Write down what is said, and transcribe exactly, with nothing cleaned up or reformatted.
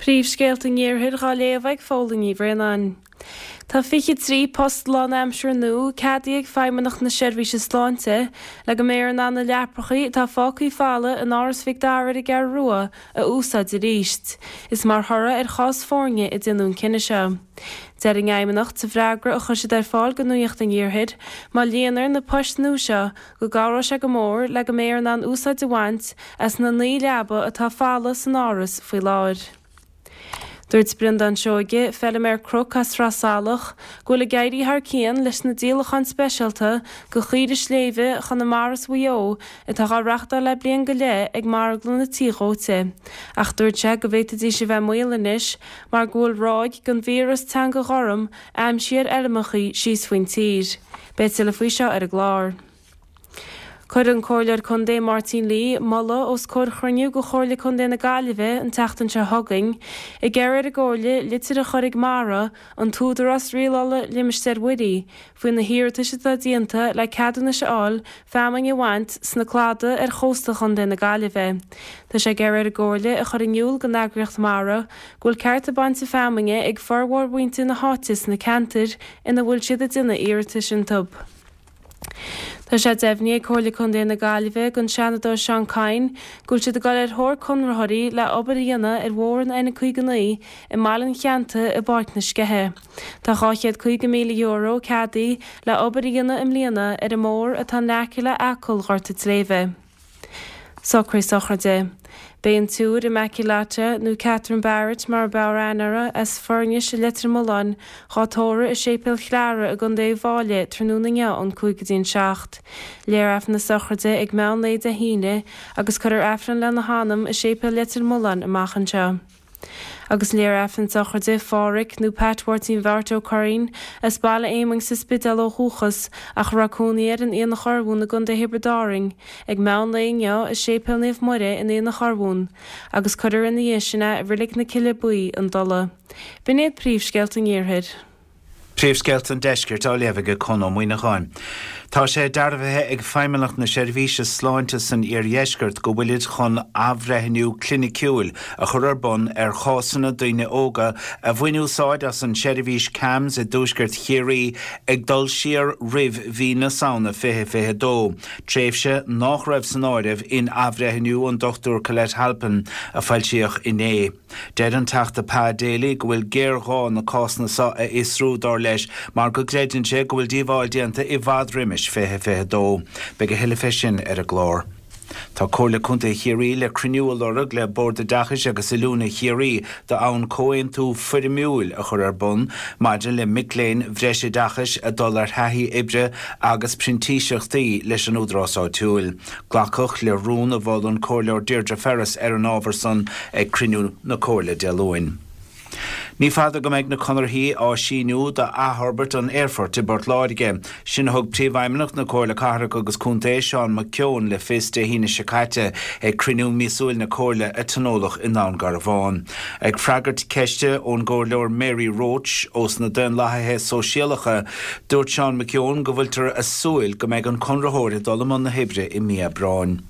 Príomhscéalta an Iarthair á léamh ag Fódhla Ní Bhraonáin. Tá fiche trí post lánaimseartha nua ceadaithe ag Feidhmeannacht na Seirbhíse Sláinte le go mbeifear in ann na leapacha atá fágtha folamh in Áras Mhic Dara ar an gCeathrú Rua a úsáid arís. Is mar thoradh ar chás foirne a déanadh an cinneadh seo. Deir an Fheidhmeannacht sa bhfreagra a chuir siad ar fáil go Nuacht an Iarthair, má líontar na poist nua seo go gcabhróidh sé go mór le go mbeifear in ann úsáid a bhaint as na naoi leaba atá folamh san áras faoi láthair. Dúirt Breandán Seoige, feilméara cnoic as Sraith Salach, go bhfuil ag éirí thar cionn leis na díolacháin speisialta de chaoirigh sléibhe Chonamara is Mhaigh Eo atá á reáchtáil le bliain go leith ag marglanna Tí Dhóite. Ach dúirt sé go bhféadfaidís a bheith i mbaol anois mar go bhfuil ráig den víreas teanga ghorm aimsithe ar fheirmeacha síos faoin tír. Beidh tuilleadh faoi seo ar an gclár. Chuir an Comhairleoir Contae Máirtín Lee moladh os comhair chruinniú de Chomhairle Contae na Gaillimhe an tseachtain seo chugainn, ag iarraidh ar an gComhairle litir a chur chuig MARA, an tÚdarás Rialála Limistéir Mhuirí, faoi na hiarratais atá déanta le ceadúnais a fháil feamainn a bhaint sna cladaigh ar chósta Chontae na Gaillimhe. Tá sé ag iarraidh ar an gComhairle a chur in iúl don eagraíocht MARA go bhfuil cearta bainte feamainne ag formhór mhuintir na háite sna ceantair ina bhfuil siad ag déanamh iarratais iontu. Tá sé deimhnithe ag Comhairle Contae na Gaillimhe don Seanadóir Seán Kyne go bhfuil siad ag dul ar thóir conraitheoirí le obair a dhéanamh ar bhóthar an N caoga naoi i mBaile an Cheannta i bPáirc na Sceiche. Tá dhá chéad caoga míle euro ceadaithe le obair a dhéanamh i mbliana ar an mbóthar atá in aice le Acaill Ghort an tSléibhe. Socruithe sochraide. Beidh an tSiúr Immaculata nó Catherine Barrett mar ab fhearr aithne uirthi as Foirnis i Leitir Mealláin dhá tórramh i Séipéal Chleara i gContae Uíbh Fhailí tráthnóna inniu ón cúig go dtí an seacht. Léifear Aifreann na sochraide ag meán lae Dé hAoine agus cuirfear Aifreann lena hanam i Séipéal Leitir Mealláin amach anseo. Agus léifear Aifreann sochraide Phádhraic nó Pat Mháirtín Bheáirt Ó Curraoin as Baile Éamoinn sa Spidéal ó dhúchas ach a raibh cónaí air in Aonach Urmhumhan i gContae Thiobraid Árann, ag meán lae inniu i Séipéal Naomh Muire in Aonach Urmhumhan, agus cuirfear ina dhiaidh sin é i Reilig na Cille Buí, an Dola. B'in iad príomhscéalta an Iarthair. Príomhscéalta an Deiscirt á léamh ag Conn Ó Muíneacháin. Tá sé dearbhaithe ag Feidhmeannacht na Seirbhíse Sláinte san iardheisceart go bhfuilid chun athbhreithniú cliniciúil a chur ar bun ar chásanna daoine óga a bhain úsáid as an seirbhís CAMHS i dtuaisceart Chiarraí ag dul siar roimh mhí na Samhna fiche fiche dó, tréimhse nach raibh san áireamh in athbhreithniú an Dr Colette Halpin a foilsíodh inné. Deir an Teachta Pa Daly go bhfuil géarghá na cásanna seo a fhiosrú dar leis mar go gcreideann sé go bhfuil díobháil déanta i bhfad roimis fiche fiche dó. Beidh a thuilleadh fé sin ar an gclár. Tá Comhairle Contae Chiarraí le cruinniú a lorg le Bord Oideachais agus Oiliúna Chiarraí d'fhonn comhaontú foirmiúil a chur ar bun maidir le mic léinn bhreisoideachais a dul ar thaithí oibre agus printíseachtaí leis an údarás áitiúil. Glacadh le rún a mhol an Comhairleoir Deirdre Ferris ar an ábhar san ag cruinniú na Comhairle Dé Luain. Ní fada go mbeidh na conarthaí á síniú d'athfhorbairt an aerfoirt i bPort Láirge. Sin a thug Príomhfheidhmeannach na Comhairle Cathrach agus Contae Seán McKeown le fios Dé hAoine seo caite ag cruinniú míosúil na Comhairle a tionóladh i nDún Garbhán. Ag freagairt ceiste ón gComhairleoir Mary Roche ós na Daonlathaithe Sóisialacha, dúirt Seán McKeown go bhfuiltear ag súil go mbeidh an conraitheoir ag dul i mbun na hoibre i mí Aibreáin.